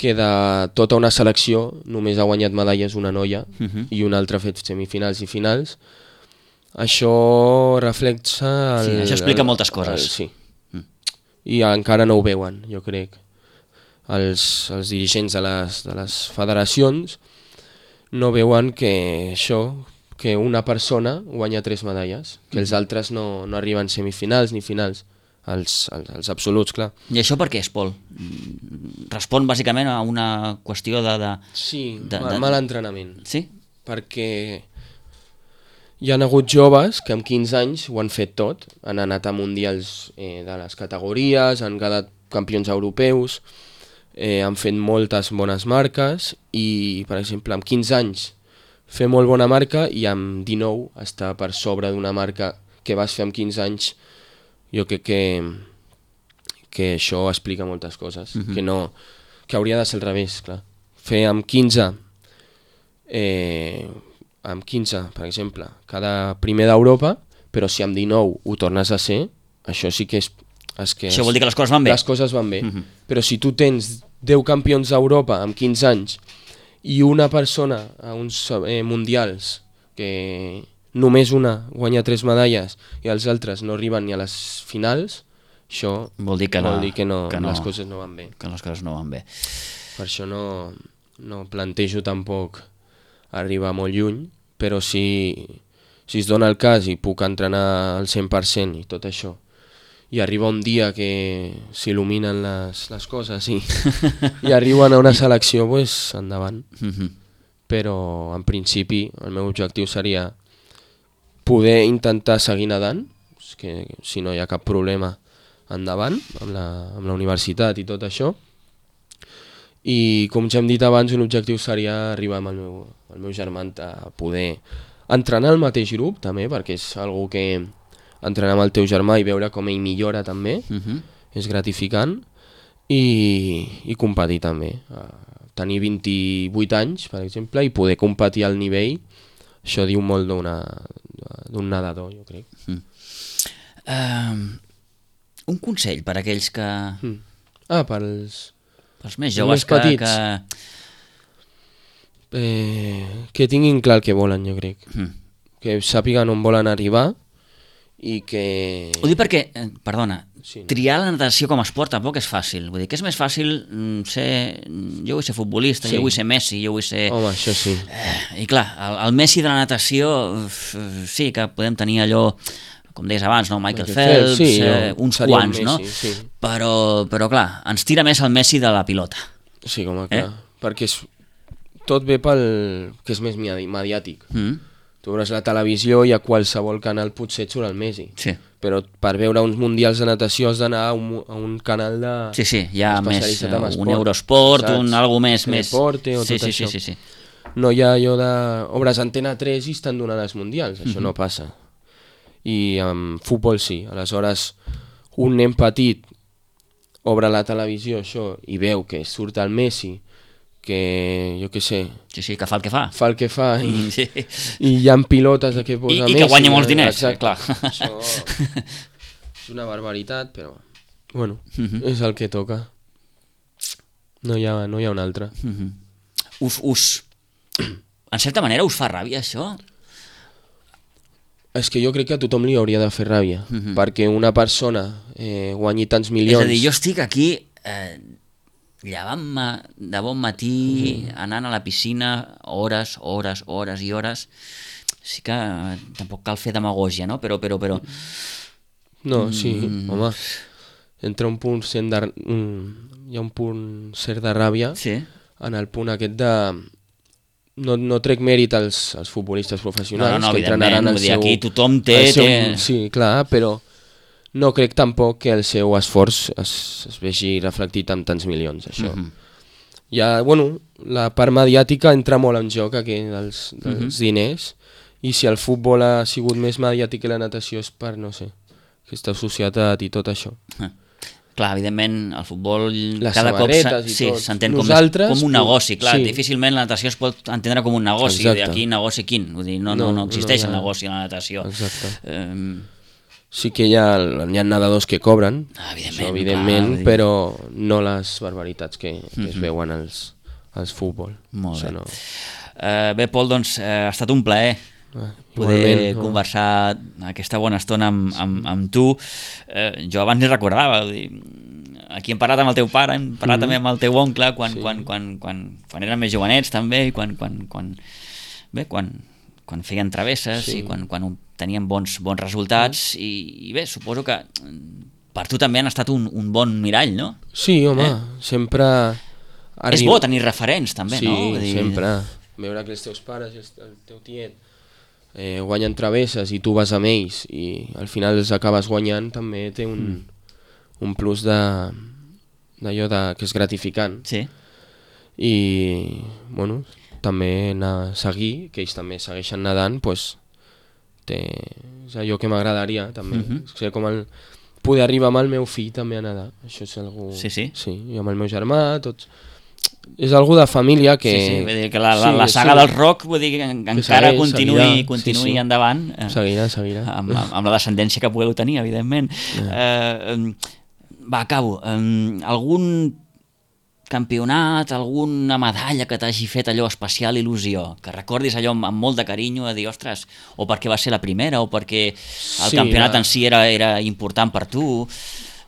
Speaker 3: que de tota una selecció només ha guanyat medalles una noia uh-huh. i una altra ha fet semifinals i finals. Això reflexa... El,
Speaker 2: sí, això explica el, moltes coses.
Speaker 3: El, sí. Mm. I encara no ho veuen, jo crec. Els, els dirigents de les, de les federacions no veuen que això, que una persona guanya tres medalles, que els altres no, no arriben semifinals ni finals. Els, els, els absoluts, clar.
Speaker 2: I això per què és, Pol? Respon bàsicament a una qüestió de... de
Speaker 3: sí,
Speaker 2: de,
Speaker 3: mal,
Speaker 2: de...
Speaker 3: mal entrenament.
Speaker 2: Sí?
Speaker 3: Perquè hi ha hagut joves que amb quinze anys ho han fet tot, han anat a mundials eh, de les categories, han quedat campions europeus, eh, han fet moltes bones marques i, per exemple, amb quinze anys fer molt bona marca i amb dinou estar per sobre d'una marca que vas fer amb quinze anys. Jo crec que, que això explica moltes coses, uh-huh. que, no, que hauria de ser al revés, clar. Fer amb quinze, eh, amb quinze, per exemple, cada primer d'Europa, però si amb dinou ho tornes a ser, això sí que és... és que
Speaker 2: això vol dir que les coses van bé?
Speaker 3: Les coses van bé, uh-huh. però si tu tens deu campions d'Europa amb quinze anys i una persona a uns eh, mundials que... només una guanya tres medalles i els altres no arriben ni a les finals, això
Speaker 2: vol dir que,
Speaker 3: vol
Speaker 2: no,
Speaker 3: dir que, no,
Speaker 2: que no,
Speaker 3: les coses no van bé.
Speaker 2: Que les coses no van bé.
Speaker 3: Per això no, no plantejo tampoc arribar molt lluny, però si, si es dona el cas i puc entrenar al cent per cent i tot això, i arriba un dia que s'il·luminen les, les coses i, i arriben a una selecció, pues, endavant. Mm-hmm. Però en principi el meu objectiu seria poder intentar seguir nedant, que si no hi ha cap problema endavant amb la, amb la universitat i tot això, i com ja hem dit abans, un objectiu seria arribar amb el meu, el meu germà a poder entrenar al mateix grup també, perquè és algo que entrenar amb el teu germà i veure com ell millora també, uh-huh. és gratificant, i, i competir també, tenir vint-i-vuit anys per exemple i poder competir al nivell, això diu molt d'una d'un nedador, jo crec. Mm.
Speaker 2: Uh, un consell per a aquells que...
Speaker 3: Mm. Ah, pels...
Speaker 2: Pels més joves que... que...
Speaker 3: Eh, que tinguin clar el que volen, jo crec. Mm. Que sàpiguen on volen arribar i que...
Speaker 2: Ho dic perquè, eh, perdona,
Speaker 3: sí, no?
Speaker 2: triar la natació com a esport tampoc és fàcil. Vull dir que és més fàcil ser... Jo vull ser futbolista, sí. jo vull ser Messi, jo vull ser...
Speaker 3: Home, això sí.
Speaker 2: Eh, I clar, el, el Messi de la natació, sí que podem tenir allò, com deies abans, no? Michael, Michael Phelps, sí, eh, uns quants, Messi, no? Sí. Però, però clar, ens tira més el Messi de la pilota.
Speaker 3: Sí, com a clar. Eh? Perquè és... tot ve pel... que és més mediàtic. Mm. Tu veuràs la televisió i a qualsevol canal potser et surt el Messi.
Speaker 2: Sí.
Speaker 3: però per veure uns mundials de natació has d'anar a, un, a un canal de...
Speaker 2: Sí, sí, hi ha més,
Speaker 3: especialitzat en
Speaker 2: un
Speaker 3: esport,
Speaker 2: Eurosport,
Speaker 3: saps?
Speaker 2: un algo més... més...
Speaker 3: Teleporte o
Speaker 2: sí,
Speaker 3: tot
Speaker 2: sí,
Speaker 3: això.
Speaker 2: sí, sí, sí.
Speaker 3: No hi ha allò de... Obres Antena tres i estan donant els mundials, això
Speaker 2: Mhm.
Speaker 3: no passa. I amb futbol sí, aleshores un nen petit obre la televisió això i veu que surt el Messi, que jo què sé,
Speaker 2: Sí, sí, que fa el que fa.
Speaker 3: fa el que fa i,
Speaker 2: Sí.
Speaker 3: i hi ha pilotes de què posa
Speaker 2: I,
Speaker 3: Messi.
Speaker 2: i que guanya molts diners,
Speaker 3: exacte.
Speaker 2: clar.
Speaker 3: Això és una barbaritat, però bueno,
Speaker 2: Mhm.
Speaker 3: és el que toca. No hi ha, no hi ha un altre.
Speaker 2: Mhm. Us, us... En certa manera us fa ràbia, això?
Speaker 3: És que jo crec que a tothom li hauria de fer ràbia,
Speaker 2: Mhm.
Speaker 3: perquè una persona eh, guanyi tants
Speaker 2: És
Speaker 3: milions...
Speaker 2: a dir, jo estic aquí eh, llevant-me de bon matí,
Speaker 3: Mhm.
Speaker 2: anant a la piscina hores, hores, hores i hores. Sí que eh, tampoc cal fer demagògia, no? Però, però, però...
Speaker 3: No, sí,
Speaker 2: Mm.
Speaker 3: home, entra un punt cent de... Un, hi ha un punt cert de ràbia
Speaker 2: Sí.
Speaker 3: en el punt aquest de... No, no trec mèrit als, als futbolistes professionals,
Speaker 2: No, no, no,
Speaker 3: que entrenaran
Speaker 2: evidentment,
Speaker 3: el
Speaker 2: vull dir,
Speaker 3: seu...
Speaker 2: aquí tothom té-
Speaker 3: el seu-
Speaker 2: té-
Speaker 3: Sí, clar, però no crec tampoc que el seu esforç es, es vegi reflectit amb tants milions, això.
Speaker 2: Mhm.
Speaker 3: Ja, bueno, la part mediàtica entra molt en joc aquí dels, dels
Speaker 2: Mhm.
Speaker 3: diners, i si el futbol ha sigut més mediàtic que la natació és per, no sé, aquesta societat i tot això.
Speaker 2: Clar, evidentment, el futbol
Speaker 3: Les
Speaker 2: cada cop
Speaker 3: samarretes i
Speaker 2: sí,
Speaker 3: tot.
Speaker 2: s'entén com,
Speaker 3: Nosaltres,
Speaker 2: com un
Speaker 3: pu-
Speaker 2: negoci. Clar,
Speaker 3: sí.
Speaker 2: difícilment la natació es pot entendre com un negoci.
Speaker 3: Exacte.
Speaker 2: Aquí negoci quin? Vull dir, no, no,
Speaker 3: No,
Speaker 2: no existeix
Speaker 3: no hi ha-
Speaker 2: el negoci a la natació.
Speaker 3: Exacte.
Speaker 2: Eh,
Speaker 3: Sí que hi ha, hi ha nedadors que cobren,
Speaker 2: Ah, evidentment,
Speaker 3: això, evidentment,
Speaker 2: clar, vull dir-
Speaker 3: però no les barbaritats que, que es
Speaker 2: Mhm.
Speaker 3: veuen als, als futbol.
Speaker 2: Molt
Speaker 3: Això
Speaker 2: bé.
Speaker 3: no.
Speaker 2: eh, bé, Pol, doncs eh, ha estat un plaer
Speaker 3: Ah,
Speaker 2: poder
Speaker 3: igualment, no?
Speaker 2: conversar aquesta bona estona amb, amb, amb tu. Eh, jo abans ni recordava, vull dir, aquí hem parlat amb el teu pare, hem parlat
Speaker 3: Mhm.
Speaker 2: també amb el teu oncle quan,
Speaker 3: Sí.
Speaker 2: quan, quan, quan, quan eren més jovenets també, i quan, quan, quan, bé, quan, quan feien travesses
Speaker 3: Sí.
Speaker 2: i quan, quan tenien bons, bons resultats i, i bé, suposo que mm, per tu també han estat un, un bon mirall, no?
Speaker 3: Sí, home,
Speaker 2: Eh?
Speaker 3: sempre...
Speaker 2: És bo tenir referents també,
Speaker 3: sí,
Speaker 2: no? Vull dir,
Speaker 3: sempre. Veure que els teus pares i el el teu tiet eh, guanyen travesses i tu vas amb ells i al final els acabes guanyant, també té un,
Speaker 2: Mm.
Speaker 3: un plus de d'allò de, que és gratificant.
Speaker 2: Sí.
Speaker 3: I, bueno, també anar a seguir, que ells també segueixen nedant, pues, té, és allò que m'agradaria també,
Speaker 2: Mhm.
Speaker 3: ser com el, poder arribar amb el meu fill també a nedar, això és algú...
Speaker 2: Sí, sí.
Speaker 3: Sí, i amb el meu germà, tots... És algú de família que...
Speaker 2: Sí, sí, vull dir que la, la,
Speaker 3: Sí,
Speaker 2: la saga
Speaker 3: sí.
Speaker 2: del rock, vull dir que en- que encara
Speaker 3: segueix,
Speaker 2: continuï,
Speaker 3: seguirà,
Speaker 2: continuï
Speaker 3: sí, sí.
Speaker 2: endavant, eh,
Speaker 3: Seguirà, seguirà.
Speaker 2: amb, amb, amb la descendència que pugueu tenir, evidentment. Eh, em, va, acabo. Em, algun campionat, alguna medalla que t'hagi fet allò especial il·lusió, que recordis allò amb, amb molt de carinyo, a dir, ostres, o perquè va ser la primera, o perquè el
Speaker 3: Sí,
Speaker 2: campionat
Speaker 3: ja.
Speaker 2: en si era, era important per tu.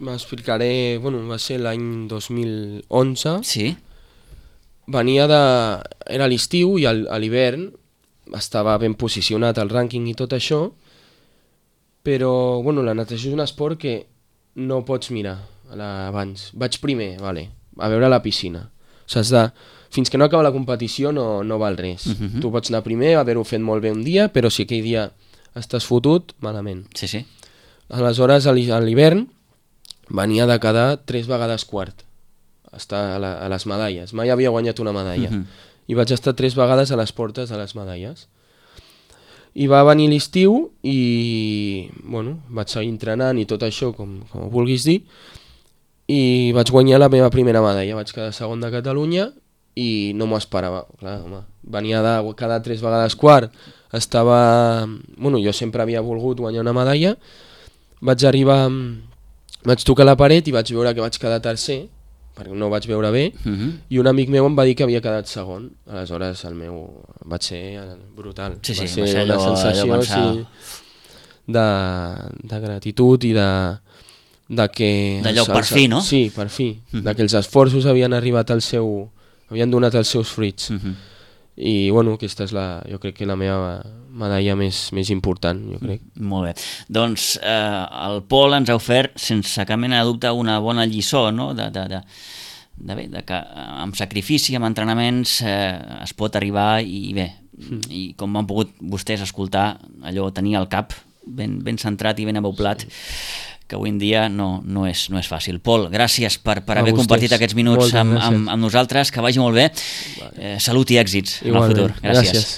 Speaker 3: M'explicaré, bueno, va ser l'any dos mil onze,
Speaker 2: Sí?
Speaker 3: venia de... era l'estiu i al- a l'hivern estava ben posicionat al rànquing i tot això, però bueno, la natació és un esport que no pots mirar a la- abans. Vaig primer, vale, a veure la piscina. Saps de... Fins que no acaba la competició no, no val res.
Speaker 2: Mhm.
Speaker 3: Tu pots anar primer, haver-ho fet molt bé un dia, però si aquell dia estàs fotut, malament.
Speaker 2: Sí, sí.
Speaker 3: Aleshores, a l'hi- a l'hivern, venia de quedar tres vegades quart. Estar a, la, a les medalles. Mai havia guanyat una medalla.
Speaker 2: Mhm.
Speaker 3: I vaig estar tres vegades a les portes de les medalles. I va venir l'estiu i, bueno, vaig seguir entrenant i tot això, com, com ho vulguis dir, i vaig guanyar la meva primera medalla. Vaig quedar segon de Catalunya i no m'ho esperava. Clar, home, venia de quedar tres vegades quart, estava... Bueno, jo sempre havia volgut guanyar una medalla, vaig arribar... Vaig tocar la paret i vaig veure que vaig quedar tercer, perquè no ho vaig veure bé,
Speaker 2: Mhm.
Speaker 3: i un amic meu em va dir que havia quedat segon. Aleshores el meu va ser brutal.
Speaker 2: Sí, sí,
Speaker 3: va ser
Speaker 2: va ser
Speaker 3: una
Speaker 2: allò-
Speaker 3: sensació
Speaker 2: allò pensar-
Speaker 3: sí, de, de gratitud i de, de que...
Speaker 2: D'allò,
Speaker 3: els-
Speaker 2: per
Speaker 3: els-
Speaker 2: fi, no?
Speaker 3: Sí, per fi.
Speaker 2: Mhm.
Speaker 3: De que els esforços havien arribat al seu... havien donat els seus fruits.
Speaker 2: Mhm.
Speaker 3: I bueno, aquesta és la, jo crec que la meva medalla més, més important, jo crec.
Speaker 2: Molt bé. Doncs eh, el Pol ens ha ofert, sense cap mena de dubte, una bona lliçó, no? de, de, de, de, bé, de que eh, amb sacrifici, amb entrenaments, eh, es pot arribar i bé, i com han pogut vostès escoltar, allò tenir al cap ben, ben centrat i ben aboblat, que avui en dia no, no, és, no és fàcil. Pol, gràcies per, per haver compartit aquests minuts amb, amb, amb nosaltres, que vagi molt bé. Eh, salut i èxits en el futur. Gràcies. gràcies.